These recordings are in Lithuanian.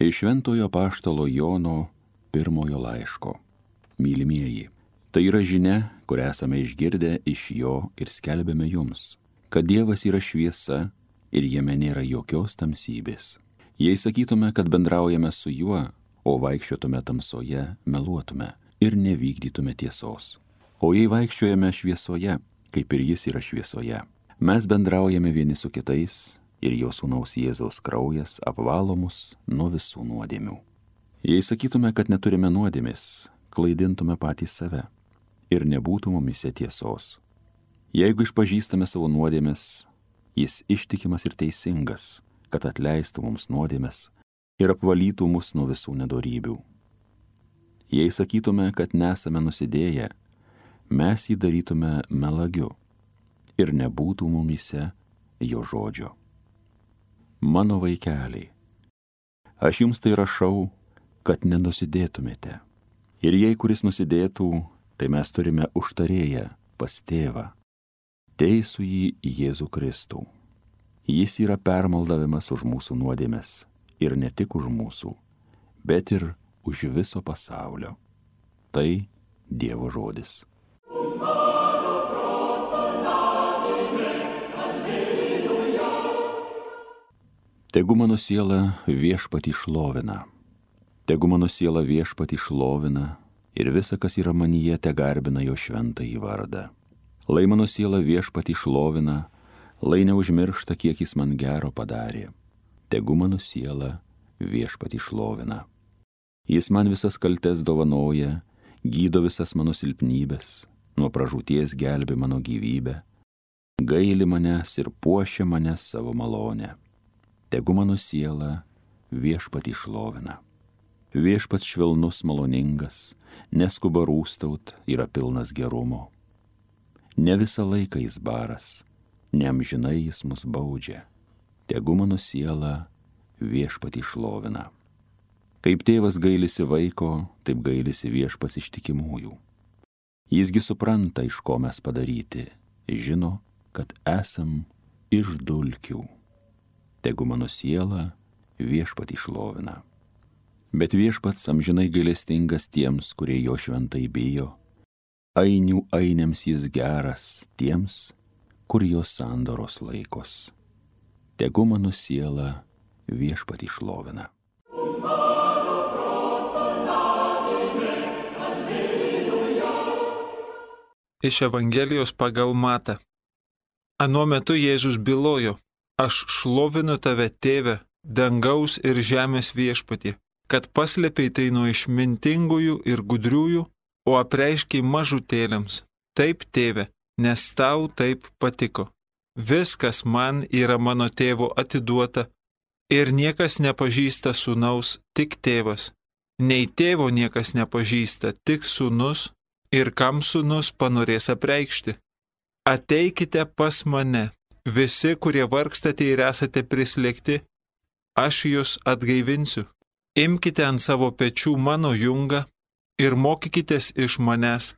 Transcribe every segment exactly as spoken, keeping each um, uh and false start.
Iš Šventojo Apaštalo Jono pirmojo laiško. Mylimieji, tai yra žinia, kurią esame išgirdę iš jo ir skelbėme jums, kad Dievas yra šviesa ir jame nėra jokios tamsybės. Jei sakytume, kad bendraujame su juo, o vaikščiotume tamsoje, meluotume ir nevykdytume tiesos. O jei vaikščiojame šviesoje, kaip ir jis yra šviesoje, mes bendraujame vieni su kitais ir jo sūnaus Jėzaus kraujas apvalo mus nuo visų nuodėmių. Jei sakytume, kad neturime nuodėmės, klaidintume patys save ir nebūtų mumise tiesos. Jeigu išpažįstame savo nuodėmės, jis ištikimas ir teisingas, kad atleistų mums nuodėmės ir apvalytų mus nuo visų nedorybių. Jei sakytume, kad nesame nusidėję, mes jį darytume melagiu ir nebūtų mumise jo žodžio. Mano vaikeliai, aš jums tai rašau, kad nenusidėtumėte. Ir jei kuris nusidėtų, tai mes turime užtarėją pas tėvą, teisų jį Jėzų Kristų. Jis yra permaldavimas už mūsų nuodėmes ir ne tik už mūsų, bet ir už viso pasaulio. Tai Dievo žodis. Tegu mano siela viešpatį šlovina, tegu mano siela viešpatį šlovina ir visa, kas yra manyje, te garbina jo šventąjį vardą. Lai mano siela viešpatį šlovina, lai neužmiršta, kiek jis man gero padarė. Tegu mano siela viešpatį šlovina. Jis man visas kaltes dovanoja, gydo visas mano silpnybės, nuo pražūties gelbi mano gyvybę, gaili manęs ir puošia mane savo malonę. Tegu mano siela viešpatį šlovina. Viešpats švelnus, maloningas, neskuba rūstaut, yra pilnas gerumo. Ne visą laiką jis baras, ne amžinai jis mus baudžia. Tegu mano siela viešpatį šlovina. Kaip tėvas gailisi vaiko, taip gailisi viešpats ištikimųjų. Jisgi supranta, iš ko mes padaryti, žino, kad esam iš dulkių. Tegu mano siela viešpatį šlovina. Bet viešpats amžinai gailestingas tiems, kurie jo šventai bijo. Ainių ainiams jis geras tiems, kur jo sandoros laikos. Tegu mano siela viešpatį šlovina. Iš Evangelijos pagal Matą. Anuo metu Jėzus bylojo: Aš šlovinu tave, tėve, dangaus ir žemės viešpatie, kad paslėpei tai nuo išmintingųjų ir gudriųjų, o apreiškiai mažutėliams. Taip, tėve, nes tau taip patiko. Viskas man yra mano tėvo atiduota, ir niekas nepažįsta sūnaus, tik tėvas. Nei tėvo niekas nepažįsta, tik sūnus, ir kam sūnus panorės apreikšti. Ateikite pas mane, visi, kurie vargstate ir esate prislėgti, aš jūs atgaivinsiu. Imkite ant savo pečių mano jungą ir mokykitės iš manęs,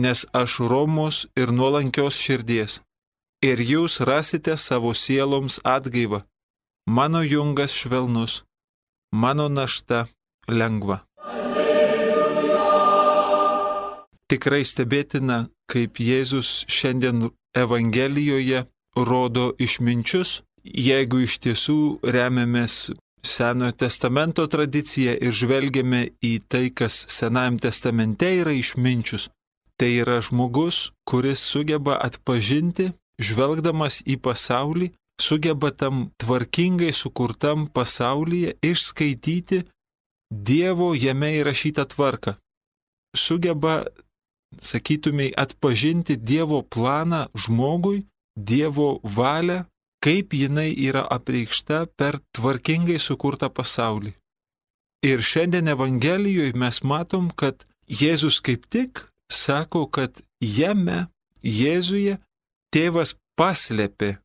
nes aš romus ir nuolankios širdies, ir jūs rasite savo sieloms atgaivą. Mano jungas švelnus, mano našta lengva. Tikrai stebėtina, kaip Jėzus šiandien Evangelijoje rodo išminčius, jeigu iš tiesų remiamės Senojo testamento tradicija ir žvelgiame į tai, kas Senajam testamente yra išminčius. Tai yra žmogus, kuris sugeba atpažinti, žvelgdamas į pasaulį, sugeba tam tvarkingai sukurtam pasaulyje išskaityti Dievo jame įrašytą tvarką. Sugeba, sakytumei, atpažinti Dievo planą žmogui, Dievo valią, kaip jinai yra apreikšta per tvarkingai sukurtą pasaulį. Ir šiandien Evangelijoje mes matom, kad Jėzus kaip tik sako, kad jame, Jėzuje, tėvas paslėpė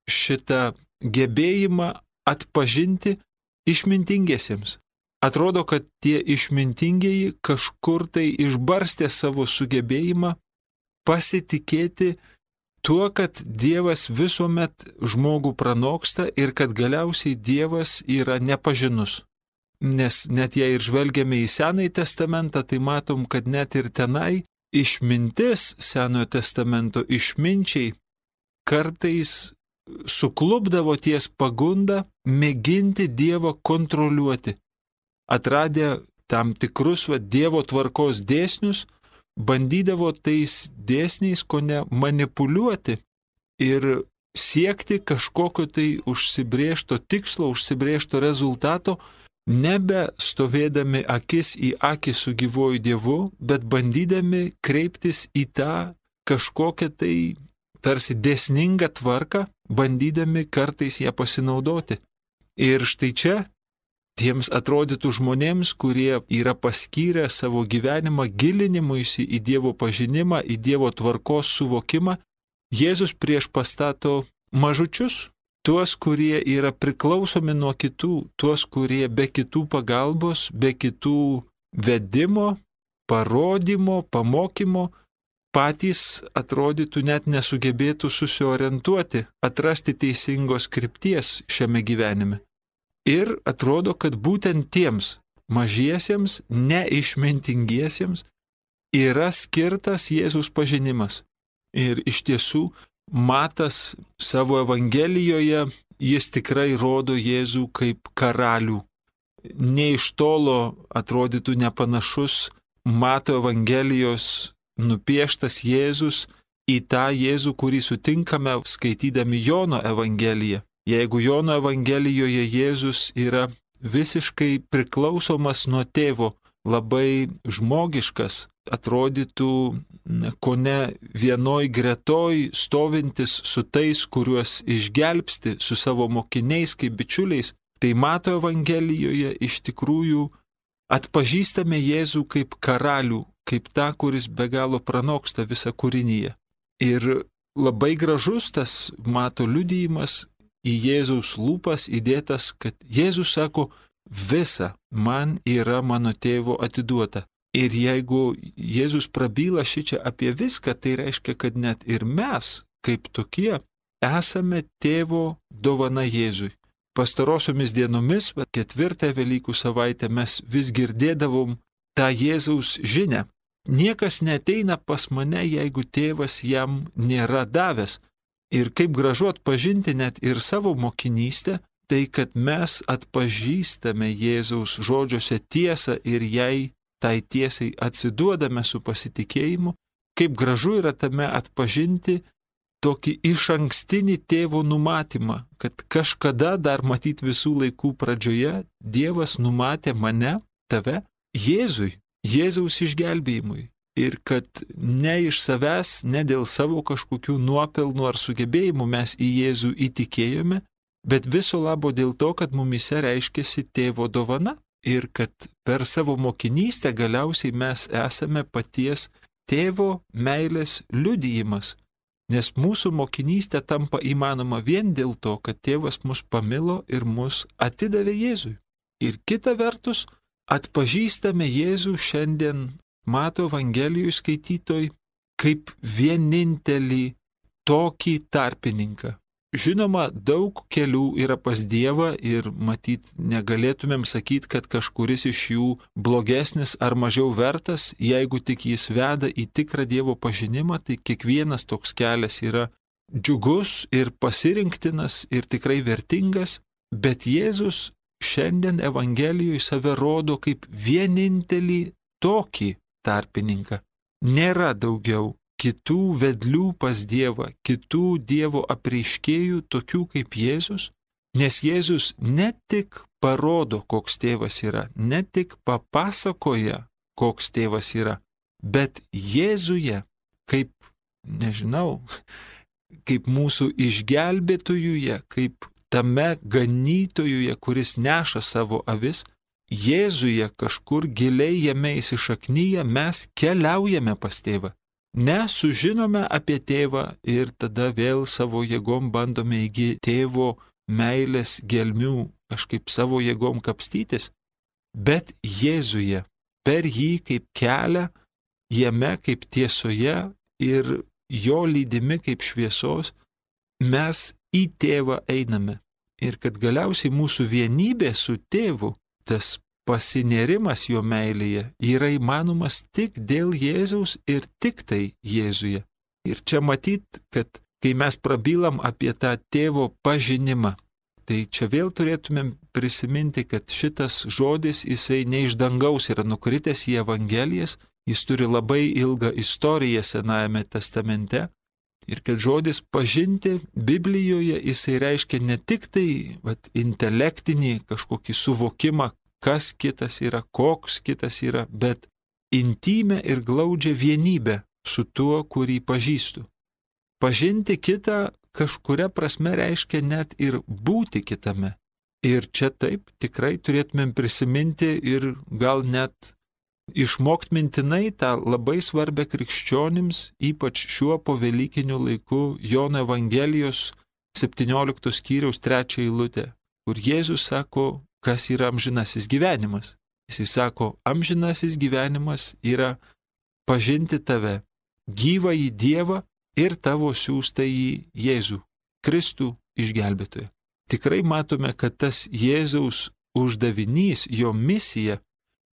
šitą gebėjimą atpažinti išmintingiesiems. Atrodo, kad tie išmintingieji kažkur tai išbarstė savo sugebėjimą pasitikėti tuo, kad Dievas visuomet žmogų pranoksta ir kad galiausiai Dievas yra nepažinus. nes net jei ir žvelgiame į Senąjį testamentą, tai matom, kad net ir tenai išmintis Senojo testamento išminčiai kartais suklupdavo ties pagunda mėginti Dievą kontroliuoti. Atradę tam tikrus va, Dievo tvarkos dėsnius, bandydavo tais dėsniais kone manipuliuoti ir siekti kažkokio tai užsibrėžto tikslo, užsibrėžto rezultato, nebe stovėdami akis į akį su gyvuoju Dievu, bet bandydami kreiptis į tą kažkokią tai tarsi dėsningą tvarką, bandydami kartais ją pasinaudoti. Ir štai čia tiems atrodytų žmonėms, kurie yra paskyrę savo gyvenimą gilinimuisi į Dievo pažinimą, į Dievo tvarkos suvokimą, Jėzus prieš pastato mažučius, tuos, kurie yra priklausomi nuo kitų, tuos, kurie be kitų pagalbos, be kitų vedimo, parodymo, pamokymo, patys atrodytų net nesugebėtų susiorientuoti, atrasti teisingos krypties šiame gyvenime. Ir atrodo, kad būtent tiems mažiesiems, neišmintingiesiems yra skirtas Jėzaus pažinimas. Ir iš tiesų, Matas savo Evangelijoje, jis tikrai rodo Jėzų kaip karalių. Ne iš tolo atrodytų nepanašus Mato Evangelijos nupieštas Jėzus į tą Jėzų, kurį sutinkame skaitydami Jono Evangeliją. Jeigu Jono Evangelijoje Jėzus yra visiškai priklausomas nuo tėvo, labai žmogiškas, atrodytų kone vienoj gretoj stovintis su tais, kuriuos išgelbsti su savo mokiniais kaip bičiuliais, tai Mato Evangelijoje iš tikrųjų atpažįstame Jėzų kaip karalių, kaip tą, kuris be galo pranoksta visą kūrinyje. Ir labai gražus tas Mato liudijimas į Jėzaus lūpas įdėtas, kad Jėzus sako, visa man yra mano tėvo atiduota. Ir jeigu Jėzus prabyla šičia apie viską, tai reiškia, kad net ir mes, kaip tokie, esame tėvo dovana Jėzui. Pastarosiomis dienomis, ketvirtą Velykų savaitę, mes vis girdėdavom tą Jėzaus žinią. Niekas neteina pas mane, jeigu tėvas jam nėra davęs. Ir kaip gražu atpažinti net ir savo mokinystę, tai kad mes atpažįstame Jėzaus žodžiuose tiesą ir jai tai tiesai atsiduodame su pasitikėjimu, kaip gražu yra tame atpažinti tokį išankstinį tėvo numatymą, kad kažkada dar matyt visų laikų pradžioje Dievas numatė mane, tave, Jėzui, Jėzaus išgelbėjimui. Ir kad ne iš savęs, ne dėl savo kažkokių nuopelnų ar sugebėjimų mes į Jėzų įtikėjome, bet viso labo dėl to, kad mumyse reiškėsi tėvo dovana ir kad per savo mokinystę galiausiai mes esame paties tėvo meilės liudijimas. Nes mūsų mokinystė tampa įmanoma vien dėl to, kad tėvas mus pamilo ir mus atidavė Jėzui. Ir kita vertus, atpažįstame Jėzų šiandien Mato Evangelijų skaitytoj kaip vienintelį tokį tarpininką. Žinoma, daug kelių yra pas Dievą ir matyt negalėtumėm sakyti, kad kažkuris iš jų blogesnis ar mažiau vertas, jeigu tik jis veda į tikrą Dievo pažinimą, tai kiekvienas toks kelias yra džiugus ir pasirinktinas ir tikrai vertingas, bet Jėzus šiandien Evangelijoje save rodo kaip vienintelį tokį tarpininką. Nėra daugiau kitų vedlių pas Dievą, kitų Dievo apreiškėjų, tokių kaip Jėzus, nes Jėzus ne tik parodo, koks tėvas yra, ne tik papasakoja, koks tėvas yra, bet Jėzuje, kaip, nežinau, kaip mūsų išgelbėtojuje, kaip tame ganytojuje, kuris neša savo avis, Jėzuje kažkur giliai jame įsišaknyje mes keliaujame pas tėvą. Ne, sužinome apie tėvą ir tada vėl savo jėgom bandome įgyti tėvo meilės gelmių, kažkaip savo jėgom kapstytis, bet Jėzuje, per jį kaip kelią, jame kaip tiesoje ir jo lydimi kaip šviesos, mes į tėvą einame. Ir kad galiausiai mūsų vienybė su tėvu, tas pasinėrimas jo meilėje yra įmanomas tik dėl Jėzaus ir tik tai Jėzuje. Ir čia matyt, kad kai mes prabylam apie tą tėvo pažinimą, tai čia vėl turėtumėm prisiminti, kad šitas žodis jisai ne iš dangaus yra nukritęs į Evangelijas, jis turi labai ilgą istoriją Senajame testamente. Ir kad žodis pažinti Biblijoje jisai reiškia ne tik tai vat, intelektinį kažkokį suvokimą, kas kitas yra, koks kitas yra, bet intymę ir glaudžią vienybę su tuo, kurį pažįstu. Pažinti kitą kažkuria prasme reiškia net ir būti kitame. Ir čia taip tikrai turėtumėm prisiminti ir gal net išmokti mintinai tą labai svarbę krikščionims, ypač šiuo povelykiniu laiku, Jono Evangelijos septynioliktos skyriaus trečią eilutę, kur Jėzus sako, kas yra amžinasis gyvenimas. Jis sako, amžinasis gyvenimas yra pažinti tave, gyvąjį Dievą ir tavo siųstąjį Jėzų, Kristų išgelbėtoją. Tikrai matome, kad tas Jėzaus uždavinys, jo misija,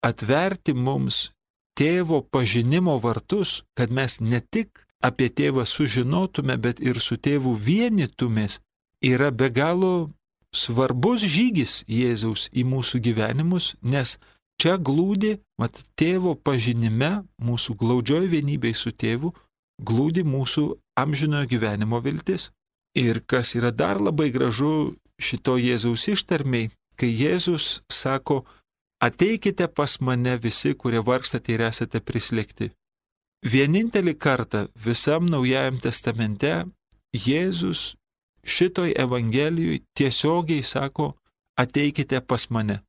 atverti mums tėvo pažinimo vartus, kad mes ne tik apie tėvą sužinotume, bet ir su tėvu vienytumės, yra be galo svarbus žygis Jėzaus į mūsų gyvenimus, nes čia glūdi, mat, tėvo pažinime, mūsų glaudžioj vienybėj su tėvu, glūdi mūsų amžinojo gyvenimo viltis. Ir kas yra dar labai gražu šito Jėzaus ištarmei, kai Jėzus sako, ateikite pas mane visi, kurie vargstate ir esate prislėgti. Vienintelį kartą visam Naujajam testamente Jėzus šitoj Evangelijoj tiesiogiai sako, ateikite pas mane.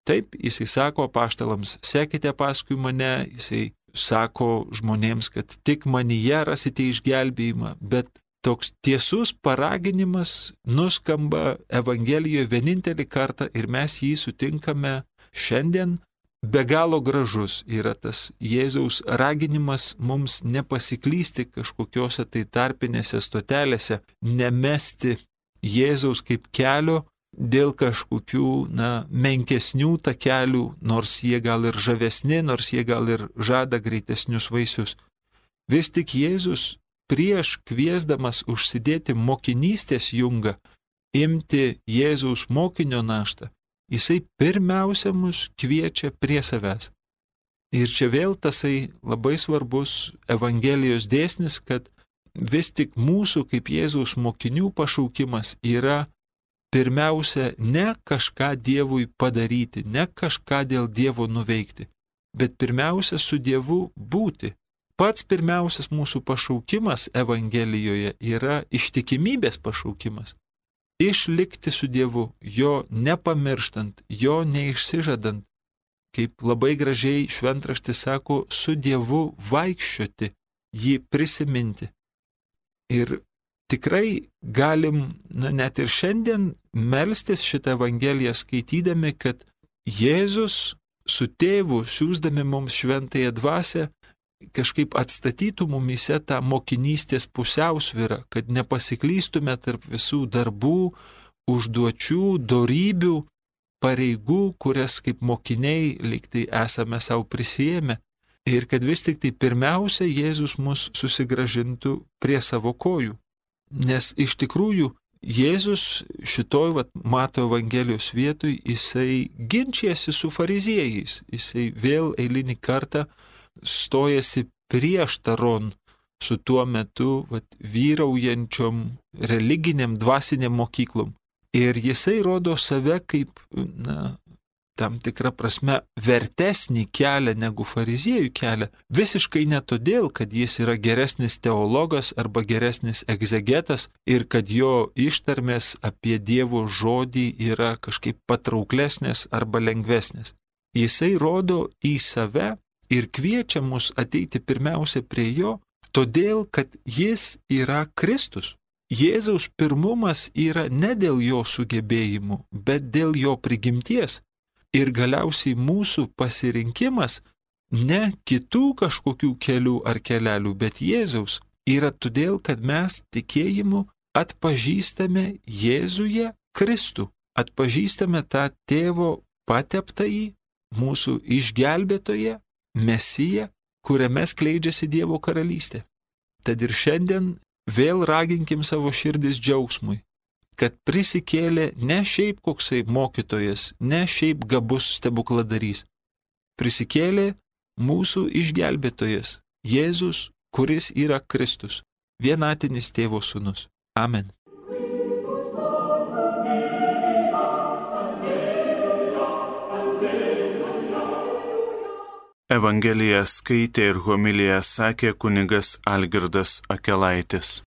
Taip, jisai sako apaštalams, sekite paskui mane, jisai sako žmonėms, kad tik manyje rasite išgelbėjimą, bet toks tiesus paraginimas nuskamba Evangelijoje vienintelį kartą ir mes jį sutinkame šiandien. Be galo gražus yra tas Jėzaus raginimas mums nepasiklysti kažkokiose tai tarpinėse stotelėse, nemesti Jėzaus kaip kelio dėl kažkokių, na, menkesnių takelių, nors jie gal ir žavesni, nors jie gal ir žada greitesnius vaisius. Vis tik Jėzus prieš kviesdamas užsidėti mokinystės jungą, imti Jėzaus mokinio naštą, jisai pirmiausia mus kviečia prie savęs. Ir čia vėl tasai labai svarbus Evangelijos dėsnis, kad vis tik mūsų kaip Jėzaus mokinių pašaukimas yra pirmiausia ne kažką Dievui padaryti, ne kažką dėl Dievo nuveikti, bet pirmiausia su Dievu būti. Pats pirmiausias mūsų pašaukimas Evangelijoje yra ištikimybės pašaukimas. Išlikti su Dievu, jo nepamirštant, jo neišsižadant, kaip labai gražiai šventraštis sako, su Dievu vaikščioti, jį prisiminti. Ir tikrai galim, na, net ir šiandien melstis šitą Evangeliją skaitydami, kad Jėzus su tėvu, siųsdami mums šventąją dvasią, kažkaip atstatytų mumyse tą mokinystės pusiausvyrą, kad nepasiklystume tarp visų darbų, užduočių, dorybių, pareigų, kurias kaip mokiniai lyg tai esame savo prisijėmę, ir kad vis tik tai pirmiausia Jėzus mus susigrąžintų prie savo kojų. Nes iš tikrųjų Jėzus šitoj vat, Mato Evangelijos vietoj jisai ginčijasi su fariziejais, jisai vėl eilinį kartą stojasi prieštaron su tuo metu vat, vyraujančiom religiniam dvasiniam mokyklom. Ir jisai rodo save kaip, na, tam tikrą prasme vertesnį kelią negu fariziejų kelią. Visiškai ne todėl, kad jis yra geresnis teologas arba geresnis egzegetas ir kad jo ištarmės apie Dievo žodį yra kažkaip patrauklesnės arba lengvesnės. Jisai rodo į save ir kviečia mus ateiti pirmiausia prie jo, todėl, kad jis yra Kristus. Jėzaus pirmumas yra ne dėl jo sugebėjimų, bet dėl jo prigimties. Ir galiausiai mūsų pasirinkimas ne kitų kažkokių kelių ar kelelių, bet Jėzaus yra todėl, kad mes tikėjimu atpažįstame Jėzuje Kristų, atpažįstame tą tėvo pateptąjį, mūsų išgelbėtoje, Mesija, kuriame skleidžiasi Dievo karalystė. Tad ir šiandien vėl raginkim savo širdis džiaugsmui, kad prisikėlė ne šiaip koksai mokytojas, ne šiaip gabus stebukladarys. Prisikėlė mūsų išgelbėtojas, Jėzus, kuris yra Kristus, vienatinis Tėvo sūnus. Amen. Evangeliją skaitė ir homiliją sakė kunigas Algirdas Akelaitis.